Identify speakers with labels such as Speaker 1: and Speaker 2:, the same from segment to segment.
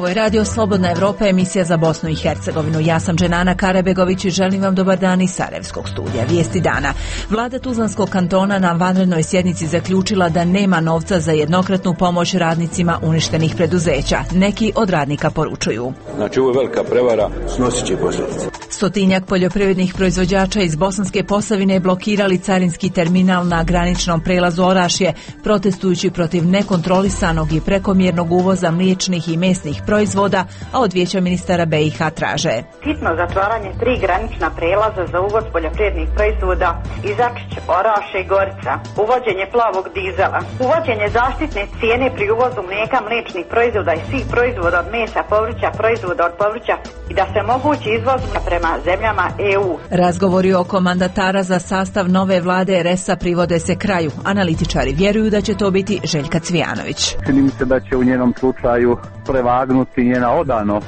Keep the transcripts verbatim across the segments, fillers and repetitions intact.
Speaker 1: Ovo je Radio Slobodna Evropa, emisija za Bosnu i Hercegovinu. Ja sam Dženana Karabegović i želim vam dobar dan iz Sarajevskog studija. Vijesti dana. Vlada Tuzlanskog kantona na vanrednoj sjednici zaključila da nema novca za jednokratnu pomoć radnicima uništenih preduzeća. Neki od radnika poručuju.
Speaker 2: Znači, ovo je velika prevara, snosit će posljedice.
Speaker 1: Stotinjak poljoprivrednih proizvođača iz Bosanske Posavine blokirali carinski terminal na graničnom prelazu Orašje, protestujući protiv nekontrolisanog i prekomjernog uvoza mliječnih i mesnih proizvoda, a od Vijeća ministara B i H traže
Speaker 3: hitno zatvaranje tri granična prelaza za uvoz poljoprivrednih proizvoda Izačić, Orašje i Gorica, uvođenje plavog dizela, uvođenje zaštitne cijene pri uvozu mlijeka, mliječnih proizvoda i svih proizvoda od mesa, povrća, proizvoda od povrća i da se omogući izvoz prema zemljama E U.
Speaker 1: Razgovori oko mandatara za sastav nove vlade R S-a privode se kraju. Analitičari vjeruju da će to biti Željka Cvijanović.
Speaker 4: Čini mi se da će u njenom slučaju prevagnuti njena odanost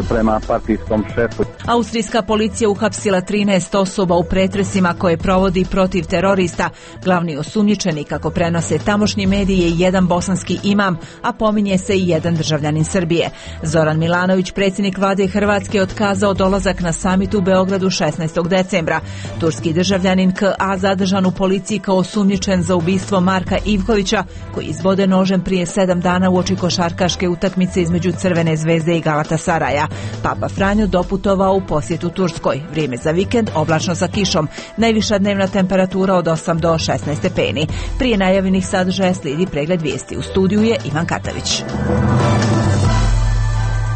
Speaker 4: prema partijskom šefu.
Speaker 1: Austrijska policija uhapsila trinaest osoba u pretresima koje provodi protiv terorista. Glavni osumnjičeni, kako prenose tamošnji mediji, je jedan bosanski imam, a pominje se i jedan državljanin Srbije. Zoran Milanović, predsjednik vlade Hrvatske, otkazao dolazak na samit u Beogradu šesnaestog decembra. Turski državljanin K A zadržan u policiji kao osumnjičen za ubistvo Marka Ivkovića, koji izbode nožem prije sedam dana uoči košarkaške utakmice između Crvene zvezde i Galatasaraja. Papa Franjo doputovao u posjetu Turskoj. Vrijeme za vikend oblačno sa kišom. Najviša dnevna temperatura od osam do šesnaest stepeni. Prije najavljenih sadržaja slijedi pregled vijesti. U studiju je Ivan Katavić.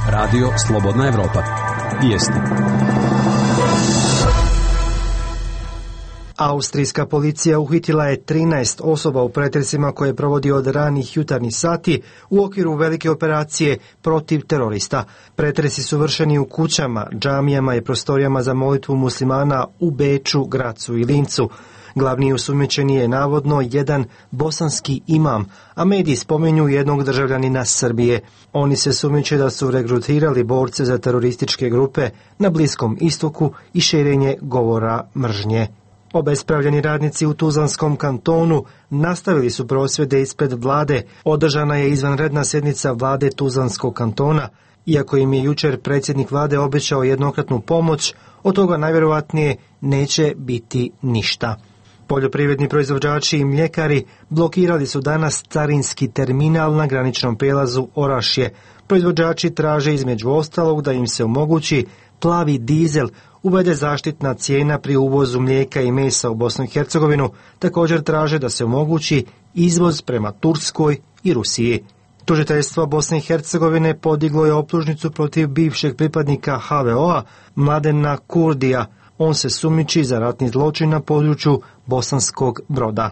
Speaker 5: Radio Slobodna Evropa. Vijesti.
Speaker 6: Austrijska policija uhitila je trinaest osoba u pretresima koje provodi od ranih jutarnjih sati u okviru velike operacije protiv terorista. Pretresi su vršeni u kućama, džamijama i prostorijama za molitvu muslimana u Beču, Gracu i Lincu. Glavni osumnjičeni je navodno jedan bosanski imam, a mediji spominju jednog državljanina Srbije. Oni se sumnjiče da su regrutirali borce za terorističke grupe na Bliskom istoku i širenje govora mržnje. Obespravljeni radnici u Tuzlanskom kantonu nastavili su prosvjede ispred vlade. Održana je izvanredna sjednica vlade Tuzlanskog kantona. Iako im je jučer predsjednik vlade obećao jednokratnu pomoć, od toga najvjerojatnije neće biti ništa. Poljoprivredni proizvođači i mljekari blokirali su danas carinski terminal na graničnom prijelazu Orašje. Proizvođači traže između ostalog da im se omogući plavi dizel, uvede zaštitna cijena pri uvozu mlijeka i mesa u Bosnu i Hercegovinu. Također traže da se omogući izvoz prema Turskoj i Rusiji. Tužiteljstvo Bosne i Hercegovine podiglo je optužnicu protiv bivšeg pripadnika H V O-a Mladena Kurdija. On se sumnjiči za ratni zločin na području Bosanskog Broda.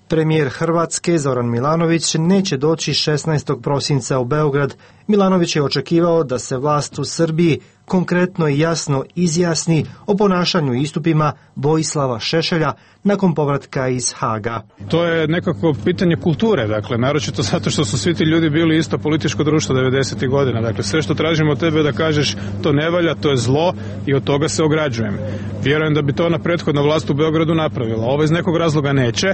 Speaker 6: Premijer Hrvatske Zoran Milanović neće doći šesnaestog prosinca u Beograd. Milanović je očekivao da se vlast u Srbiji konkretno i jasno izjasni o ponašanju i istupima Vojislava Šešelja nakon povratka iz Haga.
Speaker 7: To je nekako pitanje kulture, dakle, naročito zato što su svi ti ljudi bili isto političko društvo devedesetih godina. Dakle, sve što tražimo od tebe da kažeš to ne valja, to je zlo i od toga se ograđujem. Vjerujem da bi to na prethodna vlast u Beogradu napravila. Ovo iz nekog razloga neće.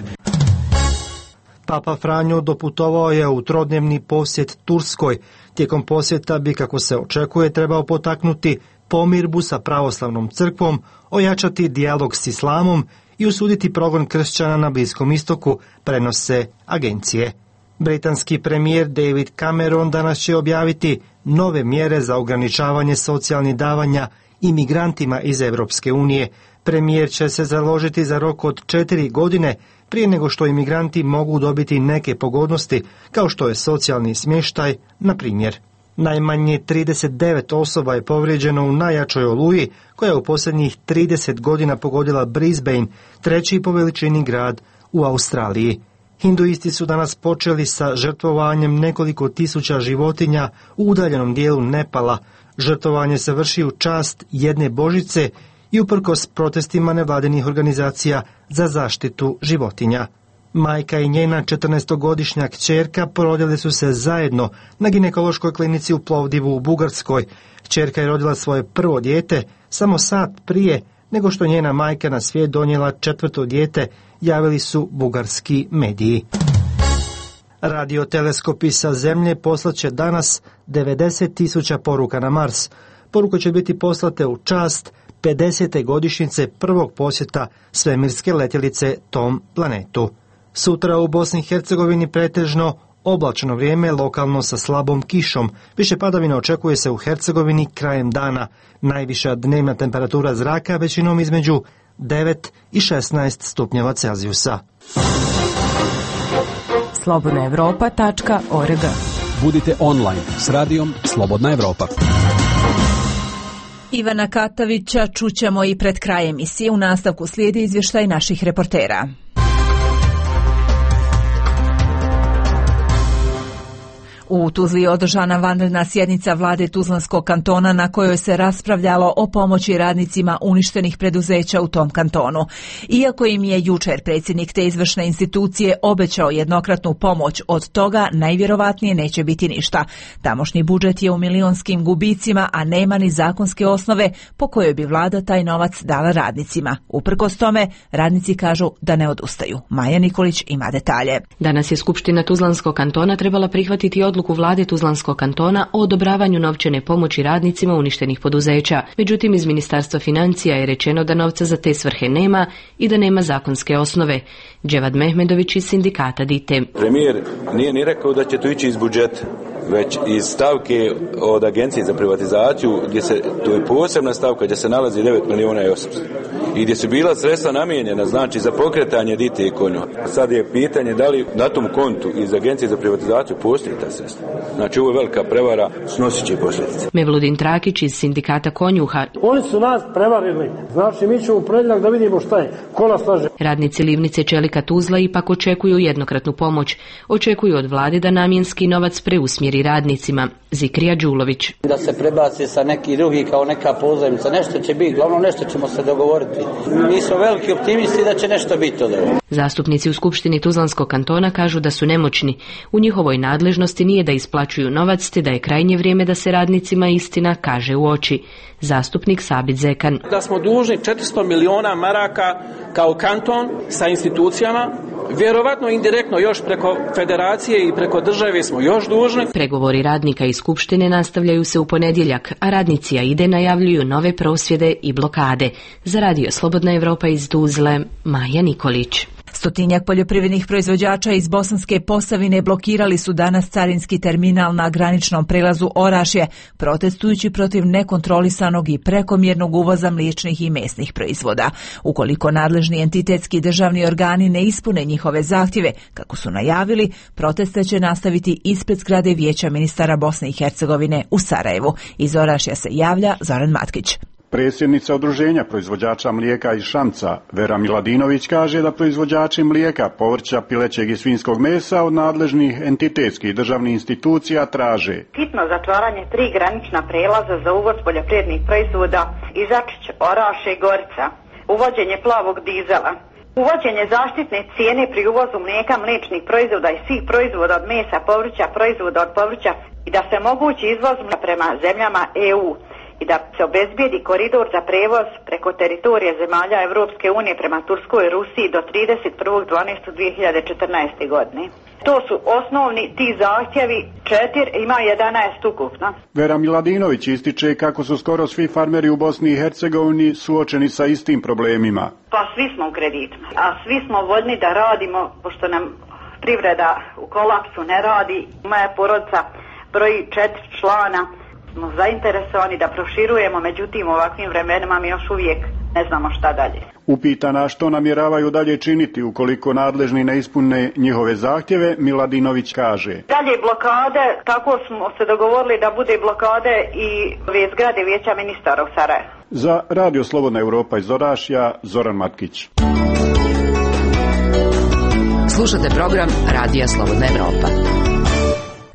Speaker 6: Papa Franjo doputovao je u trodnevni posjet Turskoj. Tijekom posjeta bi, kako se očekuje, trebao potaknuti pomirbu sa pravoslavnom crkvom, ojačati dijalog s islamom i osuditi progon kršćana na Bliskom istoku, prenose agencije. Britanski premijer David Cameron danas će objaviti nove mjere za ograničavanje socijalnih davanja imigrantima iz Europske unije. Premijer će se založiti za rok od četiri godine prije nego što imigranti mogu dobiti neke pogodnosti, kao što je socijalni smještaj, na primjer. Najmanje trideset devet osoba je povrijeđeno u najjačoj oluji koja je u posljednjih trideset godina pogodila Brisbane, treći po veličini grad u Australiji. Hinduisti su danas počeli sa žrtvovanjem nekoliko tisuća životinja u udaljenom dijelu Nepala. Žrtvovanje se vrši u čast jedne božice i uprkos protestima nevladinih organizacija za zaštitu životinja. Majka i njena četrnaestogodišnja kćerka porodile su se zajedno na ginekološkoj klinici u Plovdivu u Bugarskoj. Kćerka je rodila svoje prvo dijete samo sat prije nego što njena majka na svijet donijela četvrto dijete, javili su bugarski mediji. Radioteleskopi sa Zemlje poslaće danas devedeset tisuća poruka na Mars. Poruke će biti poslate u čast pedesete godišnjice prvog posjeta svemirske letjelice tom planetu. Sutra u Bosni i Hercegovini pretežno oblačno vrijeme, lokalno sa slabom kišom. Više padavina očekuje se u Hercegovini krajem dana. Najviša dnevna temperatura zraka većinom između devet i šesnaest stupnjeva Celzijusa.
Speaker 8: slobodna evropa tačka org.
Speaker 5: Budite online s radijom Slobodna Evropa.
Speaker 1: Ivana Katavića čućemo i pred kraj emisije. U nastavku slijedi izvještaj naših reportera. U Tuzli je održana vanredna sjednica vlade Tuzlanskog kantona na kojoj se raspravljalo o pomoći radnicima uništenih preduzeća u tom kantonu. Iako im je jučer predsjednik te izvršne institucije obećao jednokratnu pomoć, od toga najvjerovatnije neće biti ništa. Tamošnji budžet je u milionskim gubicima, a nema ni zakonske osnove po kojoj bi vlada taj novac dala radnicima. Uprkos tome, radnici kažu da ne odustaju. Maja Nikolić ima detalje.
Speaker 8: Danas je Skupština Tuzlanskog kantona trebala prihvatiti odluku vlade Tuzlanskog kantona o odobravanju novčane pomoći radnicima uništenih poduzeća. Međutim, iz Ministarstva financija je rečeno da novca za te svrhe nema i da nema zakonske osnove. Dževad Mehmedović iz sindikata Dite.
Speaker 2: Premijer nije ni rekao da će to ići iz budžeta, već iz stavke od Agencije za privatizaciju, gdje se, to je posebna stavka gdje se nalazi devet milijuna i osamsto. I gdje su bila sredstva namijenjena, znači za pokretanje Dite i Konja. Sad je pitanje da li na tom kontu iz Agencije za privatizaciju postoji ta sredstva. Znači ovo je velika prevara, snosit će posljedice.
Speaker 8: Mevludin Trakić iz sindikata Konjuha.
Speaker 9: Oni su nas prevarili. Znači mi ćemo u ponedjeljak da vidimo šta je. Ko nas laže.
Speaker 8: Radnici Livnice Čelika Tuzla ipak očekuju jednokratnu pomoć. Očekuju od vlade da namjenski novac preusmjeri radnicima. Zikrija Đulović.
Speaker 10: Da se prebaci sa neki drugi kao neka pozajmica. Nešto će biti, glavno nešto ćemo se dogovoriti. Mi smo veliki optimisti da će nešto biti od ovoga.
Speaker 8: Zastupnici u Skupštini Tuzlanskog kantona kažu da su nemoćni. U njihovoj nadležnosti nije da isplaćuju novac, te da je krajnje vrijeme da se radnicima istina kaže u oči. Zastupnik Sabit Zekan.
Speaker 11: Da smo dužni četiristo miliona maraka kao kanton sa institucijama, vjerovatno indirektno još preko federacije i preko države smo još dužni.
Speaker 8: Pregovori radnika i Skupštine nastavljaju se u ponedjeljak, a radnici AIDE najavljuju nove prosvjede i blokade. Za radio Slobodna Evropa iz Tuzle, Maja Nikolić.
Speaker 1: Stotinjak poljoprivrednih proizvođača iz Bosanske Posavine blokirali su danas carinski terminal na graničnom prelazu Orašje, protestujući protiv nekontrolisanog i prekomjernog uvoza mliječnih i mesnih proizvoda. Ukoliko nadležni entitetski državni organi ne ispune njihove zahtjeve, kako su najavili, proteste će nastaviti ispred zgrade Vijeća ministara Bosne i Hercegovine u Sarajevu. Iz Orašja se javlja Zoran Matkić.
Speaker 12: Predsjednica Udruženja proizvođača mlijeka iz Šamca, Vera Miladinović, kaže da proizvođači mlijeka, povrća, pilećeg i svinjskog mesa od nadležnih entitetskih državnih institucija traže
Speaker 3: hitno zatvaranje tri granična prelaza za uvoz poljoprivrednih proizvoda iz Ačić, Oraše i Gorica, uvođenje plavog dizela, uvođenje zaštitne cijene pri uvozu mlijeka, mliječnih proizvoda i svih proizvoda od mesa, povrća, proizvoda od povrća i da se mogući izvoz prema zemljama E U. I da se obezbijedi koridor za prevoz preko teritorije zemalja Evropske unije prema Turskoj i Rusiji do trideset prvog dvanaestog dvije hiljade četrnaeste. godine. To su osnovni ti zahtjevi, četiri, ima jedanaest ukupno.
Speaker 12: Vera Miladinović ističe kako su skoro svi farmeri u Bosni i Hercegovini suočeni sa istim problemima.
Speaker 3: Pa svi smo u kreditima, a svi smo voljni da radimo, pošto nam privreda u kolapsu ne radi. Moja porodica broji četiri člana. Smo zainteresovani da proširujemo, međutim u ovakvim vremenima mi još uvijek ne znamo šta dalje.
Speaker 12: Upitana što namjeravaju dalje činiti ukoliko nadležni ne ispune njihove zahtjeve, Miladinović kaže.
Speaker 3: Dalje blokade, tako smo se dogovorili da bude blokade i ove zgrade Vijeća ministara u Sarajevu.
Speaker 12: Za radio Slobodna Evropa iz Orašja, Zoran Matkić.
Speaker 13: Slušate program Radija Slobodna Evropa.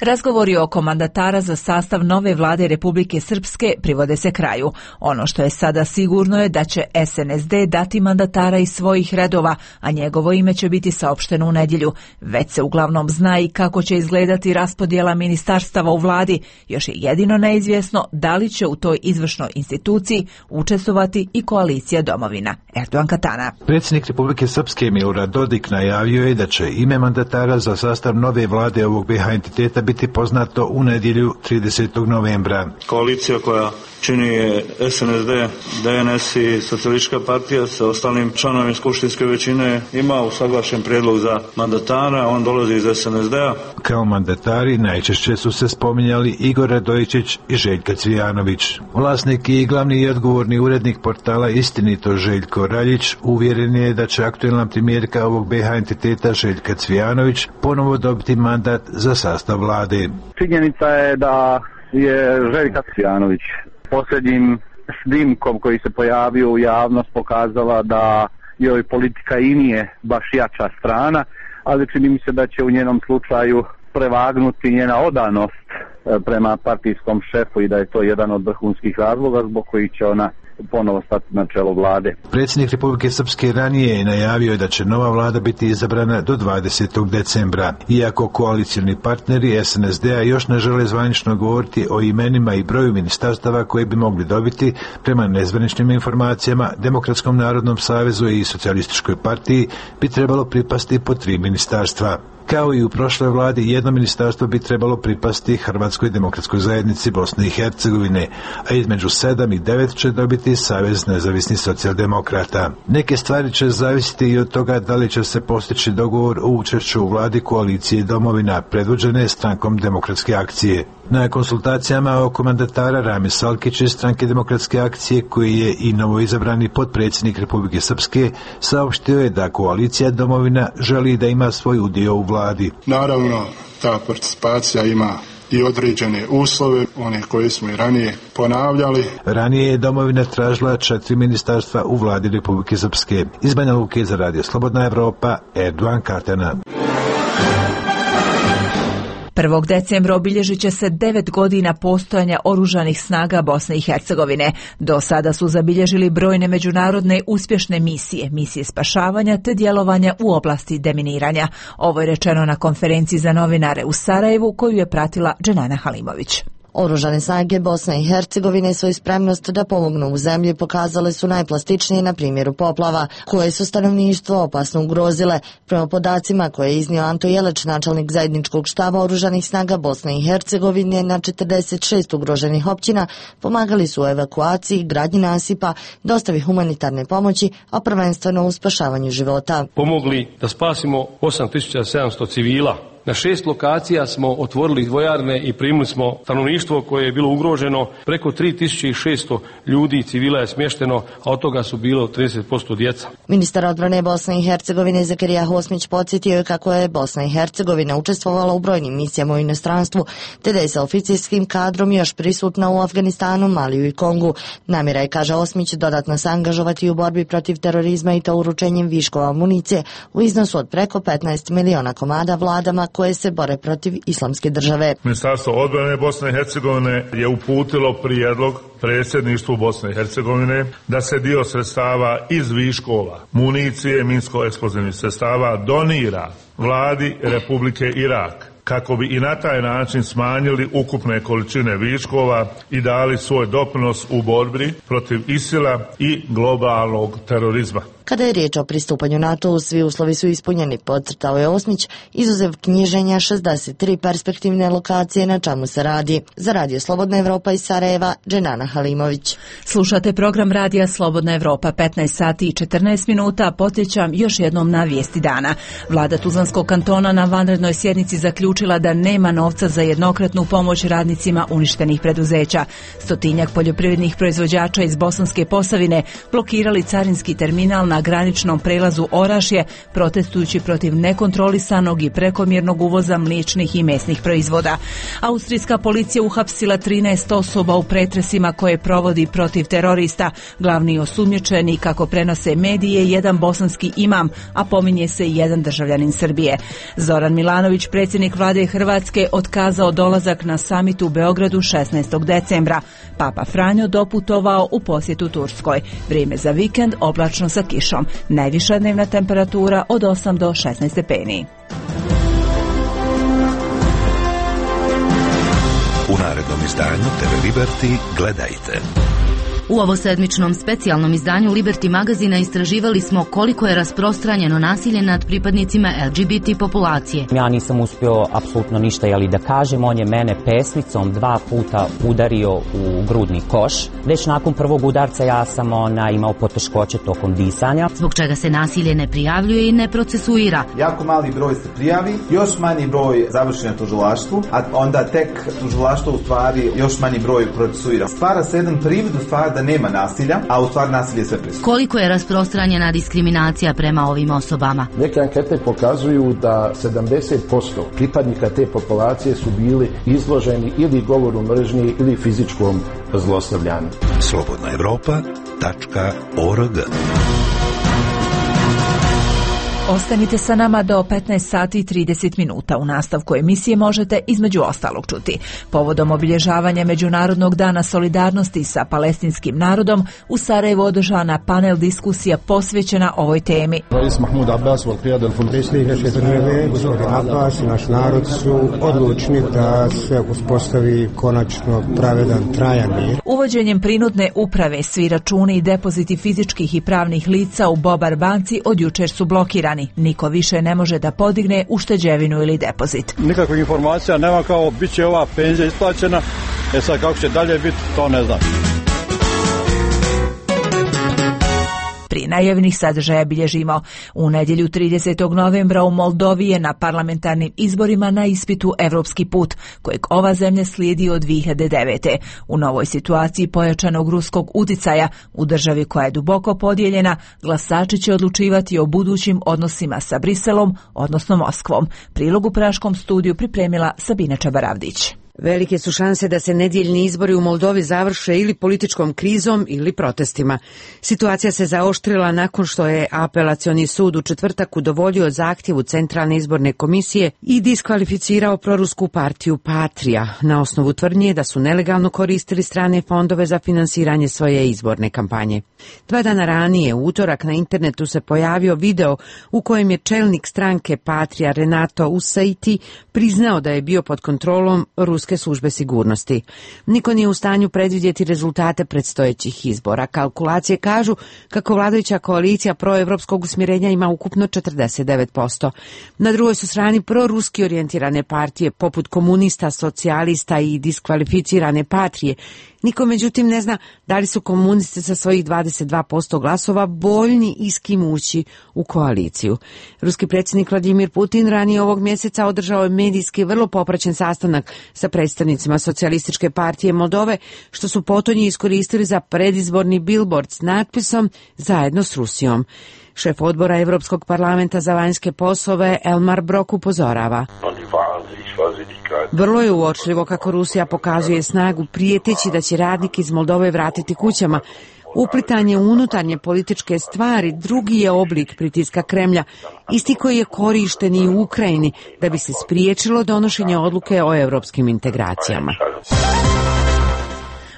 Speaker 1: Razgovori oko mandatara za sastav nove vlade Republike Srpske privode se kraju. Ono što je sada sigurno je da će S N S D dati mandatara iz svojih redova, a njegovo ime će biti saopšteno u nedjelju. Već se uglavnom zna i kako će izgledati raspodjela ministarstava u vladi. Još je jedino neizvjesno da li će u toj izvršnoj instituciji učestvovati i koalicija Domovina. Erdogan Katana.
Speaker 13: Predsjednik Republike Srpske Milorad Dodik najavio je da će ime mandatara za sastav nove vlade ovog B H entiteta biti poznato u nedjelju tridesetog novembra.
Speaker 14: Koalicija koja čini S N S D, D N S i Socijalistička partija sa ostalim članovima skupštinske većine ima usaglašen prijedlog za mandatara, on dolazi iz S N S D-a.
Speaker 13: Kao mandatari najčešće su se spominjali Igor Radojičić i Željka Cvijanović. Vlasnik i glavni i odgovorni urednik portala Istinito Željko Raljić uvjeren je da će aktuelna premijerka ovog B H entiteta Željka Cvijanović ponovo dobiti mandat za sastav vlade.
Speaker 4: Činjenica je da je Željka Cvijanović posljednjim snimkom koji se pojavio u javnost pokazala da joj politika i nije baš jača strana, ali čini mi se da će u njenom slučaju prevagnuti njena odanost prema partijskom šefu i da je to jedan od vrhunskih razloga zbog kojih će ona ponovo stati na čelo vlade.
Speaker 13: Predsjednik Republike Srpske ranije je najavio da će nova vlada biti izabrana do dvadesetog decembra. Iako koalicioni partneri S N S D-a još ne žele zvanično govoriti o imenima i broju ministarstava koje bi mogli dobiti, prema nezvaničnim informacijama Demokratskom narodnom savezu i Socijalističkoj partiji bi trebalo pripasti po tri ministarstva. Kao i u prošloj vladi, jedno ministarstvo bi trebalo pripasti Hrvatskoj demokratskoj zajednici Bosne i Hercegovine, a između sedam i devet će dobiti Savez nezavisnih socijaldemokrata. Neke stvari će zavisiti i od toga da li će se postići dogovor o učešću u vladi koalicije Domovina, predvođene strankom Demokratske akcije. Na konsultacijama oko mandatara Rami Salkić iz stranke Demokratske akcije, koji je i novoizabrani potpredsjednik Republike Srpske, saopštio je da koalicija Domovina želi da ima svoj udio u vladi.
Speaker 15: Naravno, ta participacija ima i određene uslove, one koje smo i ranije ponavljali.
Speaker 13: Ranije je Domovina tražila četiri ministarstva u vladi Republike Srpske. Iz Banja Luke za Radio Slobodna Evropa, Erdogan Katana.
Speaker 1: prvog decembra obilježit će se devet godina postojanja oružanih snaga Bosne i Hercegovine. Do sada su zabilježili brojne međunarodne uspješne misije, misije spašavanja te djelovanja u oblasti deminiranja. Ovo je rečeno na konferenciji za novinare u Sarajevu koju je pratila Dženana Halimović.
Speaker 16: Oružane snage Bosne i Hercegovine svoju spremnost da pomognu u zemlji pokazale su najplastičnije na primjeru poplava, koje su stanovništvo opasno ugrozile. Prema podacima koje je iznio Anto Jeleć, načelnik zajedničkog štaba oružanih snaga Bosne i Hercegovine na četrdeset šest ugroženih općina, pomagali su u evakuaciji, gradnji nasipa, dostavi humanitarne pomoći, a prvenstveno u spašavanju života.
Speaker 17: Pomogli da spasimo osam tisuća sedamsto civila. Na šest lokacija smo otvorili vojarne i primili smo stanovništvo koje je bilo ugroženo. Preko tri tisuće šesto ljudi civila je smješteno, a od toga su bilo trideset posto djeca.
Speaker 16: Ministar odbrane Bosne i Hercegovine Zakarija Hosmić podsjetio je kako je Bosna i Hercegovina učestvovala u brojnim misijama u inostranstvu, te da je sa oficirskim kadrom još prisutna u Afganistanu, Maliju i Kongu. Namjera je, kaže Hosmić, dodatno se angažovati u borbi protiv terorizma i to uručenjem viškova amunicije u iznosu od preko petnaest miliona komada vladama koje se bore protiv islamske države.
Speaker 18: Ministarstvo odbrane Bosne i Hercegovine je uputilo prijedlog predsjedništvu Bosne i Hercegovine da se dio sredstava iz viškova municije, minsko-eksplozivnih sredstava donira vladi Republike Irak, kako bi i na taj način smanjili ukupne količine viškova i dali svoj doprinos u borbi protiv ISIL-a i globalnog terorizma.
Speaker 16: Kada je riječ o pristupanju NATO-u, svi uslovi su ispunjeni, podcrtao je Osmić, izuzev knjiženja šezdeset tri perspektivne lokacije na čemu se radi. Za Radio Slobodna Evropa iz Sarajeva, Dženana Halimović.
Speaker 1: Slušate program Radija Slobodna Evropa, petnaest sati i četrnaest minuta. Podsjećam još jednom na vijesti dana. Vlada Tuzlanskog kantona na vanrednoj sjednici zaključila da nema novca za jednokratnu pomoć radnicima uništenih preduzeća. Stotinjak poljoprivrednih proizvođača iz Bosanske Posavine blokirali carinski terminal na na graničnom prelazu Orašje, protestujući protiv nekontrolisanog i prekomjernog uvoza mliječnih i mesnih proizvoda. Austrijska policija uhapsila trinaest osoba u pretresima koje provodi protiv terorista. Glavni osumnjičeni, kako prenose medije, jedan bosanski imam, a pominje se i jedan državljanin Srbije. Zoran Milanović, predsjednik vlade Hrvatske, otkazao dolazak na samit u Beogradu šesnaestog decembra. Papa Franjo doputovao u posjetu Turskoj. Vrijeme za vikend oblačno sa kišom. Najviša dnevna temperatura od osam do šesnaest stepeni.
Speaker 19: U narednom izdanju te ve Liberty gledajte.
Speaker 20: U ovosedmičnom specijalnom izdanju Liberty magazina istraživali smo koliko je rasprostranjeno nasilje nad pripadnicima el ge be te populacije.
Speaker 21: Ja nisam uspio apsolutno ništa, jeli da kažem, on je mene pesnicom dva puta udario u grudni koš. Već nakon prvog udarca ja sam ona imao poteškoće tokom disanja.
Speaker 20: Zbog čega se nasilje ne prijavljuje i ne procesuira.
Speaker 22: Jako mali broj se prijavi, još manji broj završi na tužilaštvu, a onda tek tužilaštvo u stvari još manji broj procesuira. Stvara se jedan privid u stvari da nema nasilja, a u stvari nasilje sve prisutno.
Speaker 20: Koliko je rasprostranjena diskriminacija prema ovim osobama?
Speaker 23: Neke ankete pokazuju da sedamdeset posto pripadnika te populacije su bili izloženi ili govoru mržnje ili fizičkom zlostavljanju.
Speaker 19: slobodna evropa tačka org.
Speaker 1: Ostanite sa nama do petnaest sati i trideset minuta. U nastavku emisije možete između ostalog čuti. Povodom obilježavanja Međunarodnog dana solidarnosti sa palestinskim narodom, u Sarajevu održana panel diskusija posvećena ovoj temi.
Speaker 24: Rais Mahmud Abbas, predsjednik naše države, gospodin Abbas i naš narod su odlučni da se uspostavi konačno pravedan, trajan mir.
Speaker 1: Uvođenjem prinudne uprave svi računi i depoziti fizičkih i pravnih lica u Bobar banci od jučer su blokirani. Niko više ne može da podigne ušteđevinu ili depozit.
Speaker 25: Nikakvih informacija nema, kao bit će ova penzija isplaćena, e sad kako će dalje biti, to ne znam.
Speaker 1: Prije najavljenih sadržaja bilježimo. U nedjelju tridesetog novembra u Moldovi je na parlamentarnim izborima na ispitu Evropski put, kojeg ova zemlja slijedi od dvije hiljade devete. U novoj situaciji pojačanog ruskog uticaja, u državi koja je duboko podijeljena, glasači će odlučivati o budućim odnosima sa Briselom, odnosno Moskvom. Prilog u praškom studiju pripremila Sabina Čabaravdić.
Speaker 26: Velike su šanse da se nedjeljni izbori u Moldovi završe ili političkom krizom ili protestima. Situacija se zaoštrila nakon što je apelacioni sud u četvrtak udovoljio zahtjevu Centralne izborne komisije i diskvalificirao prorusku partiju Patrija na osnovu tvrdnje da su nelegalno koristili strane fondove za finansiranje svoje izborne kampanje. Dva dana ranije, u utorak, na internetu se pojavio video u kojem je čelnik stranke Patrija Renato Usaiti priznao da je bio pod kontrolom ruske službe sigurnosti. Niko nije u stanju predvidjeti rezultate predstojećih izbora. Kalkulacije kažu kako vladajuća koalicija proevropskog usmjerenja ima ukupno četrdeset devet posto. Na drugoj su strani proruski orijentirane partije poput komunista, socijalista i diskvalificirane Patrije. Niko međutim ne zna da li su komunisti sa svojih dvadeset dva posto glasova voljni i s kim ući u koaliciju. Ruski predsjednik Vladimir Putin ranije ovog mjeseca održao je medijski vrlo popraćen sastanak sa predstavnicima Socijalističke partije Moldove, što su potonji iskoristili za predizborni billboard s natpisom "Zajedno s Rusijom". Šef odbora Europskog parlamenta za vanjske poslove Elmar Brok upozorava: vrlo je uočljivo kako Rusija pokazuje snagu prijeteći da će radnike iz Moldove vratiti kućama. Uplitanje u unutarnje političke stvari drugi je oblik pritiska Kremlja, isti koji je korišten i u Ukrajini da bi se spriječilo donošenje odluke o europskim integracijama.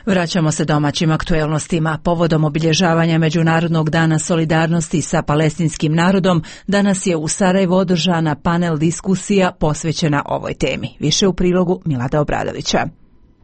Speaker 1: Vraćamo se domaćim aktuelnostima. Povodom obilježavanja Međunarodnog dana solidarnosti sa palestinskim narodom, danas je u Sarajevu održana panel diskusija posvećena ovoj temi. Više u prilogu Milada Obradovića.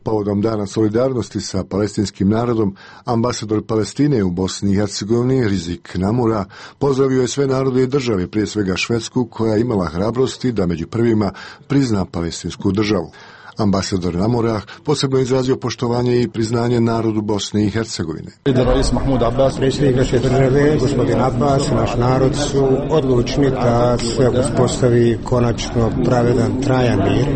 Speaker 27: Povodom dana solidarnosti sa palestinskim narodom, ambasador Palestine u Bosni i Hercegovini, Rizik Namura, pozdravio je sve narode i države, prije svega Švedsku, koja je imala hrabrosti da među prvima prizna palestinsku državu. Ambasador Namura posebno izrazio poštovanje i priznanje narodu Bosne i Hercegovine.
Speaker 24: Rais Mahmud Abbas, predsjednik naše države, gospodin Abbas i naš narod su odlučni da se uspostavi konačno pravedan, trajan mir.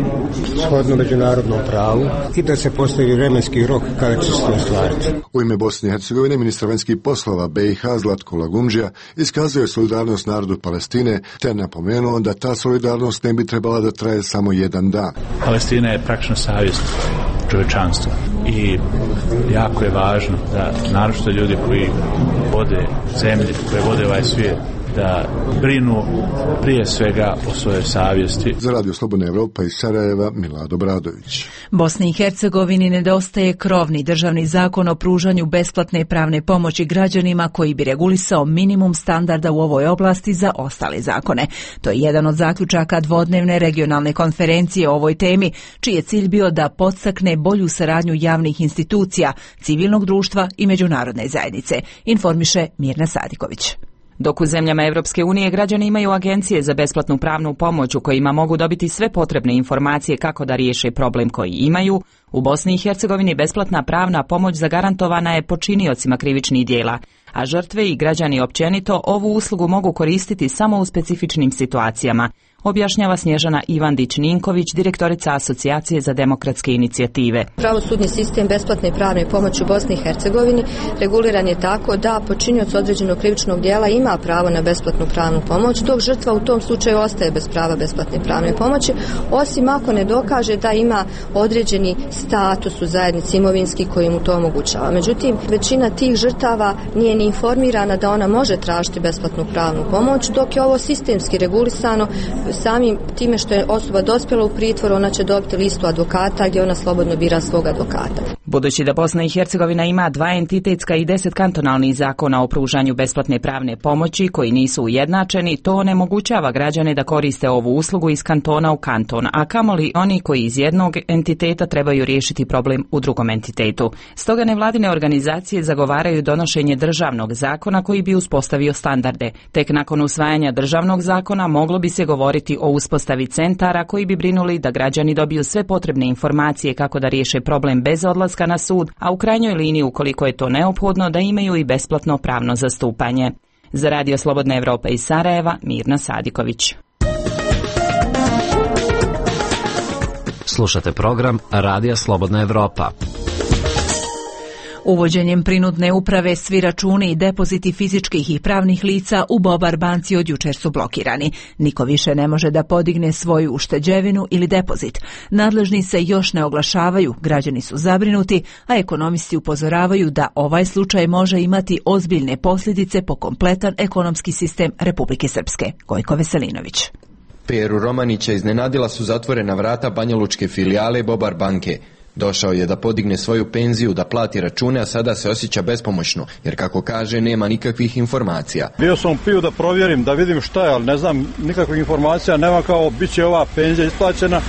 Speaker 24: shodno međunarodnom pravu i da se postavi vremenski rok kada će se to ostvariti.
Speaker 27: U ime Bosne i Hercegovine ministar vanjskih poslova B i H Zlatko Lagumdžija iskazuje solidarnost narodu Palestine te napomenuo da ta solidarnost ne bi trebala da traje samo jedan dan.
Speaker 2: Palestina je praktično savjest čovječanstva i jako je važno da naročito ljudi koji vode zemlje, koji vode ovaj svijet, da brinu prije svega o svojoj savjesti.
Speaker 27: Za Radio Slobodna Evropa iz Sarajeva, Milad Obradović.
Speaker 1: Bosni i Hercegovini nedostaje krovni državni zakon o pružanju besplatne pravne pomoći građanima koji bi regulisao minimum standarda u ovoj oblasti za ostale zakone. To je jedan od zaključaka dvodnevne regionalne konferencije o ovoj temi, čiji je cilj bio da podstakne bolju saradnju javnih institucija, civilnog društva i međunarodne zajednice, informiše Mirna Sadiković.
Speaker 5: Dok u zemljama Evropske unije građani imaju agencije za besplatnu pravnu pomoć u kojima mogu dobiti sve potrebne informacije kako da riješe problem koji imaju, u Bosni i Hercegovini besplatna pravna pomoć zagarantovana je počiniocima krivičnih djela, a žrtve i građani općenito ovu uslugu mogu koristiti samo u specifičnim situacijama, objašnjava Snježana Ivandić-Ninković, direktorica Asocijacije za demokratske inicijative.
Speaker 6: Pravosudni sistem besplatne pravne pomoći u Bosni i Hercegovini reguliran je tako da počinioc određenog krivičnog djela ima pravo na besplatnu pravnu pomoć, dok žrtva u tom slučaju ostaje bez prava besplatne pravne pomoći, osim ako ne dokaže da ima određeni status u zajednici imovinski koji mu to omogućava. Međutim, većina tih žrtava nije ni informirana da ona može tražiti besplatnu pravnu pomoć, dok je ovo sistemski regulisano. Samim time što je osoba dospjela u pritvor, ona će dobiti listu advokata gdje ona slobodno bira svog advokata.
Speaker 5: Budući da Bosna i Hercegovina ima dva entitetska i deset kantonalnih zakona o pružanju besplatne pravne pomoći koji nisu ujednačeni, to onemogućava građane da koriste ovu uslugu iz kantona u kanton, a kamoli oni koji iz jednog entiteta trebaju riješiti problem u drugom entitetu. Stoga nevladine organizacije zagovaraju donošenje državnog zakona koji bi uspostavio standarde. Tek nakon usvajanja državnog zakona moglo bi se govoriti o uspostavi centara koji bi brinuli da građani dobiju sve potrebne informacije kako da riješe problem bez odlaska na sud, a u krajnjoj liniji, ukoliko je to neophodno, da imaju i besplatno pravno zastupanje. Za Radio Slobodna Evropa iz Sarajeva, Mirna Sadiković.
Speaker 7: Slušate program Radija Slobodna Evropa.
Speaker 1: Uvođenjem prinudne uprave svi računi i depoziti fizičkih i pravnih lica u Bobar banci od jučer su blokirani. Niko više ne može da podigne svoju ušteđevinu ili depozit. Nadležni se još ne oglašavaju, građani su zabrinuti, a ekonomisti upozoravaju da ovaj slučaj može imati ozbiljne posljedice po kompletan ekonomski sistem Republike Srpske. Gojko Veselinović.
Speaker 9: Peru Romanića iznenadila su zatvorena vrata banjalučke filijale Bobar banke. Došao je da podigne svoju penziju, da plati račune, a sada se osjeća bespomoćno, jer kako kaže, nema nikakvih informacija.
Speaker 25: Bio sam pio da provjerim, da vidim šta je, ali ne znam nikakvih informacija, nema kao bit će ova penzija isplaćena,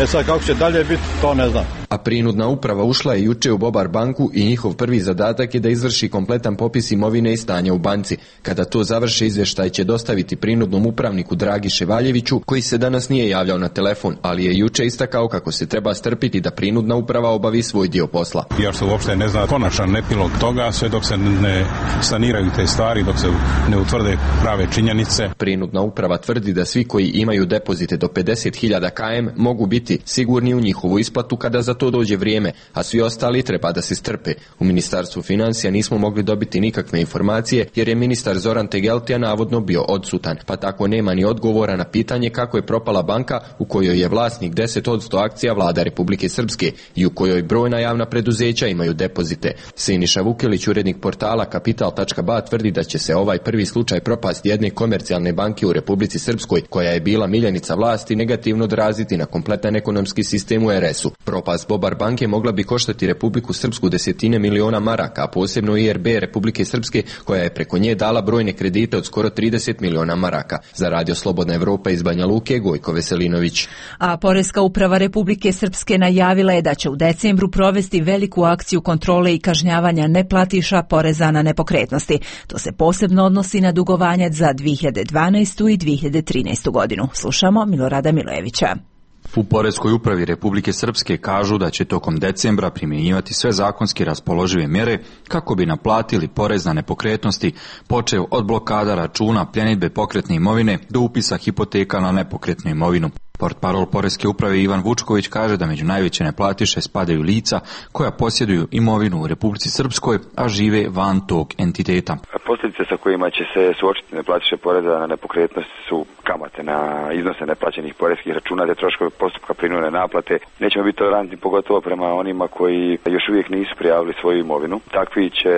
Speaker 25: e sad kako će dalje biti, to ne znam.
Speaker 9: A prinudna uprava ušla je juče u Bobar banku i njihov prvi zadatak je da izvrši kompletan popis imovine i stanja u banci. Kada to završe, izvještaj će dostaviti prinudnom upravniku Dragi Ševaljeviću, koji se danas nije javljao na telefon, ali je juče istakao kako se treba strpiti da prinudna uprava obavi svoj dio posla.
Speaker 10: Još se uopšte ne zna konačan epilog toga, sve dok se ne saniraju te stvari, dok se ne utvrde prave činjenice.
Speaker 9: Prinudna uprava tvrdi da svi koji imaju depozite do pedeset hiljada km mogu biti sigurni u njihovu isplatu kada za to dođe vrijeme, a svi ostali treba da se strpe. U Ministarstvu financija nismo mogli dobiti nikakve informacije jer je ministar Zoran Tegeltija navodno bio odsutan, pa tako nema ni odgovora na pitanje kako je propala banka u kojoj je vlasnik deset posto akcija vlada Republike Srpske i u kojoj brojna javna preduzeća imaju depozite. Siniša Vukelić, urednik portala kapital tačka ba, tvrdi da će se ovaj prvi slučaj propasti jedne komercijalne banke u Republici Srpskoj, koja je bila miljenica vlasti, negativno odraziti na kompletan ekonomski sistem u er esu. Propast Bobar banke mogla bi koštati Republiku Srpsku desetine miliona maraka, a posebno i er be Republike Srpske, koja je preko nje dala brojne kredite od skoro trideset miliona maraka. Za Radio Slobodna Evropa iz Banja Luke, Gojko Veselinović.
Speaker 1: A Poreska uprava Republike Srpske najavila je da će u decembru provesti veliku akciju kontrole i kažnjavanja neplatiša poreza na nepokretnosti. To se posebno odnosi na dugovanje za dvije hiljade dvanaestu i dvije hiljade trinaestu godinu. Slušamo Milorada Milojevića.
Speaker 11: U Poreskoj upravi Republike Srpske kažu da će tokom decembra primjenjivati sve zakonski raspoložive mjere kako bi naplatili porez na nepokretnosti, počev od blokada računa, pljenidbe pokretne imovine do upisa hipoteka na nepokretnu imovinu. Portparol Poreske uprave Ivan Vučković kaže da među najveće neplatiše spadaju lica koja posjeduju imovinu u Republici Srpskoj, a žive van tog entiteta.
Speaker 3: Posljedice sa kojima će se suočiti neplatiše poreza na nepokretnosti su kamate na iznose neplaćenih poreskih računa, te troškove postupka prinudne naplate. Nećemo biti tolerantni pogotovo prema onima koji još uvijek nisu prijavili svoju imovinu. Takvi će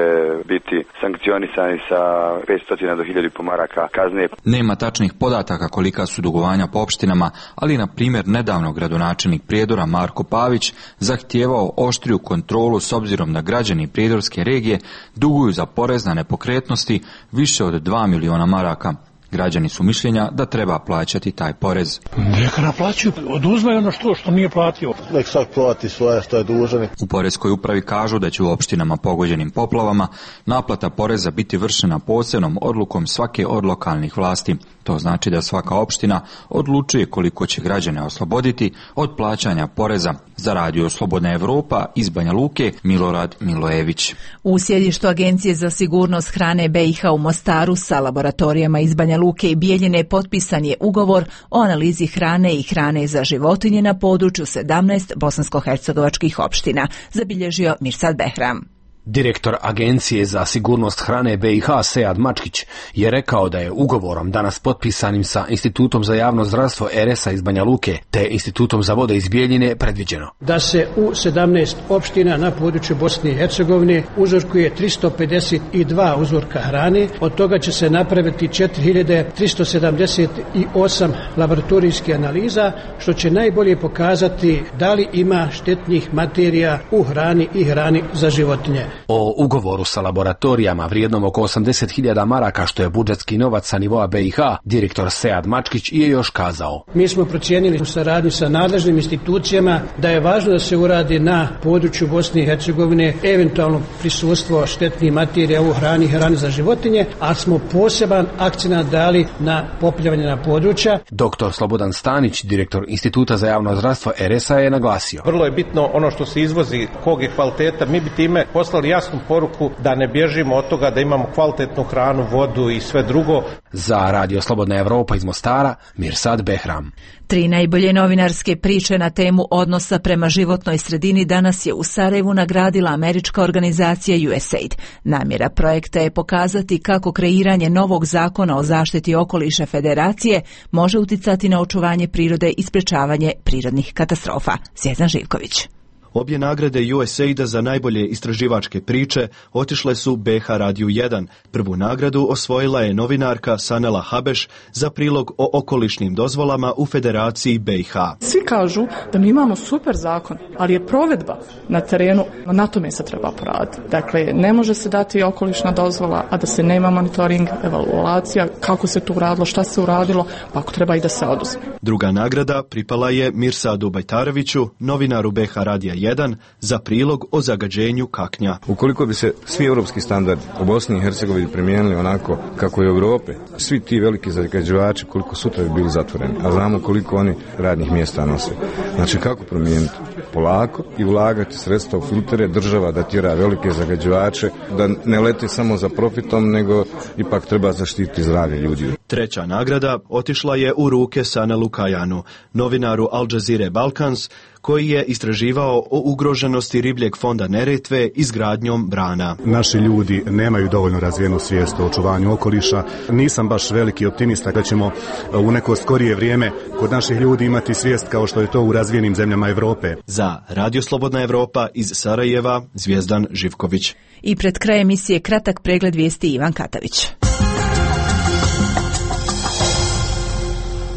Speaker 3: biti sankcionisani sa petsto do hiljadu maraka kazne.
Speaker 11: Nema tačnih podataka kolika su dugovanja po opštinama, ali na primjer nedavno gradonačelnik Prijedora Marko Pavić zahtijevao oštriju kontrolu s obzirom da građani prijedorske regije duguju za porez na nepokretnosti više od dva miliona maraka. Građani su mišljenja da treba plaćati taj porez.
Speaker 4: Neka naplaćuju, oduzme ono što, što nije platio. Nek sad plati svoje što je dužan.
Speaker 11: U Poreskoj upravi kažu da će u opštinama pogođenim poplavama naplata poreza biti vršena posebnom odlukom svake od lokalnih vlasti. To znači da svaka opština odlučuje koliko će građane osloboditi od plaćanja poreza. Za Radio Slobodna Evropa iz Banja Luke, Milorad Milojević.
Speaker 1: U sjedištu Agencije za sigurnost hrane B i H u Mostaru sa laboratorijama iz Banja Luke i Bijeljine potpisan je ugovor o analizi hrane i hrane za životinje na području sedamnaest bosansko-hercegovačkih opština, zabilježio Mirsad Behram.
Speaker 8: Direktor Agencije za sigurnost hrane B i H Sead Mačkić je rekao da je ugovorom danas potpisanim sa Institutom za javno zdravstvo R S A iz Banja Luke te Institutom za vode iz Bijeljine predviđeno
Speaker 12: da se u sedamnaest opština na području Bosne i Hercegovine uzorkuje tristo pedeset dva uzorka hrane, od toga će se napraviti četiri hiljade tristo sedamdeset osam laboratorijskih analiza, što će najbolje pokazati da li ima štetnih materija u hrani i hrani za životinje.
Speaker 8: O ugovoru sa laboratorijama vrijednom oko osamdeset hiljada maraka, što je budžetski novac sa nivoa B i H, direktor Sead Mačkić je još kazao.
Speaker 12: Mi smo procijenili u saradnji sa nadležnim institucijama da je važno da se uradi na području Bosne i Hercegovine eventualno prisustvo štetnih materija u hrani i hrani za životinje, a smo poseban akcenat dali na poplavljanje na područja.
Speaker 8: Doktor Slobodan Stanić, direktor Instituta za javno zdravstvo R S A, je naglasio.
Speaker 13: Vrlo je bitno ono što se izvozi, kog je kvaliteta. Mi bi time poslali jasnu poruku da ne bježimo od toga da imamo kvalitetnu hranu, vodu i sve drugo.
Speaker 8: Za Radio Slobodna Evropa iz Mostara, Mirsad Behram.
Speaker 1: Tri najbolje novinarske priče na temu odnosa prema životnoj sredini danas je u Sarajevu nagradila američka organizacija U S A I D. Namjera projekta je pokazati kako kreiranje novog zakona o zaštiti okoliša Federacije može uticati na očuvanje prirode i sprečavanje prirodnih katastrofa. Zvjezdan Živković.
Speaker 14: Obje nagrade U S A I D-a za najbolje istraživačke priče otišle su B H Radiju jedan. Prvu nagradu osvojila je novinarka Sanela Habeš za prilog o okolišnim dozvolama u Federaciji B i H.
Speaker 15: Svi kažu da mi imamo super zakon, ali je provedba na terenu, na tome se treba poraditi. Dakle, ne može se dati okolišna dozvola, a da se nema monitoring, evaluacija, kako se to uradilo, šta se uradilo, pa ako treba i da se oduzme.
Speaker 14: Druga nagrada pripala je Mirsadu Bajtareviću, novinaru B H Radija jedan, za prilog o zagađenju kaknja.
Speaker 28: Ukoliko bi se svi europski standardi u Bosni i Hercegovini primijenili onako kako je u Europi, svi ti veliki zagađivači koliko sutra bi bili zatvoreni, a znamo koliko oni radnih mjesta nose. Znači kako promijeniti? Polako i ulagati sredstva u filtere, država da tjera velike zagađivače, da ne leti samo za profitom, nego ipak treba zaštititi zdravlje ljudi.
Speaker 14: Treća nagrada otišla je u ruke Sanelu Kajanu, novinaru Al Jazeera Balkans, koji je istraživao o ugroženosti ribljeg fonda Neretve izgradnjom brana.
Speaker 29: Naši ljudi nemaju dovoljno razvijenu svijest o očuvanju okoliša. Nisam baš veliki optimista da ćemo u neko skorije vrijeme kod naših ljudi imati svijest kao što je to u razvijenim zemljama Europe.
Speaker 14: Za Radio Slobodna Evropa iz Sarajeva, Zvjezdan Živković.
Speaker 1: I pred kraj emisije kratak pregled vijesti Ivan Katavić.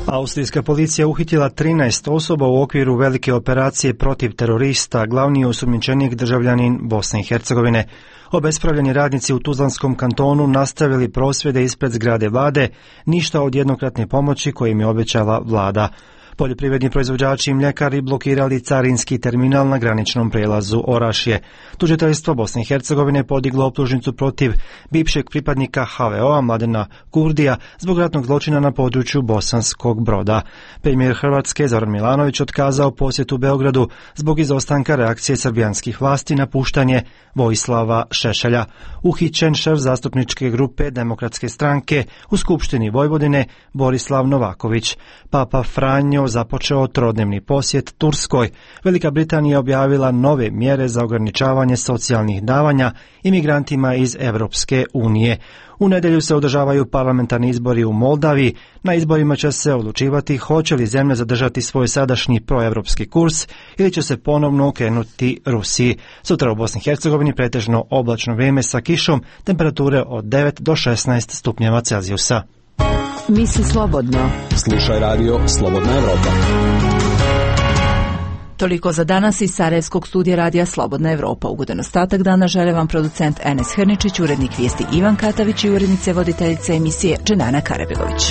Speaker 30: Austrijska policija uhitila trinaest osoba u okviru velike operacije protiv terorista, glavni osumnjičenik državljanin Bosne i Hercegovine. Obespravljeni radnici u Tuzlanskom kantonu nastavili prosvjede ispred zgrade vlade, ništa od jednokratne pomoći koje im je obećala vlada. Poljoprivredni proizvođači i mljekari blokirali carinski terminal na graničnom prelazu Orašje. Tužiteljstvo Bosne i Hercegovine podiglo optužnicu protiv bivšeg pripadnika H V O-a Mladena Kurdija zbog ratnog zločina na području Bosanskog Broda. Premijer Hrvatske Zoran Milanović otkazao posjet u Beogradu zbog izostanka reakcije srbijanskih vlasti na puštanje Vojislava Šešelja. Uhićen šef zastupničke grupe Demokratske stranke u Skupštini Vojvodine Borislav Novaković. Papa Franjo Netanjahu započeo trodnevni posjet Turskoj. Velika Britanija objavila nove mjere za ograničavanje socijalnih davanja imigrantima iz Europske unije. U nedjelju se održavaju parlamentarni izbori u Moldaviji. Na izborima će se odlučivati hoće li zemlja zadržati svoj sadašnji proevropski kurs ili će se ponovno okrenuti Rusiji. Sutra u Bosni i Hercegovini pretežno oblačno vrijeme sa kišom, temperature od devet do šesnaest stupnjeva Celzijusa.
Speaker 1: Misli slobodno.
Speaker 16: Slušaj radio Slobodna Evropa.
Speaker 1: Toliko za danas iz Sarajevskog studija radija Slobodna Evropa. Ugodan ostatak dana žele vam producent Enes Hrničić, urednik vijesti Ivan Katavić i urednice voditeljice emisije Dženana Karabegović.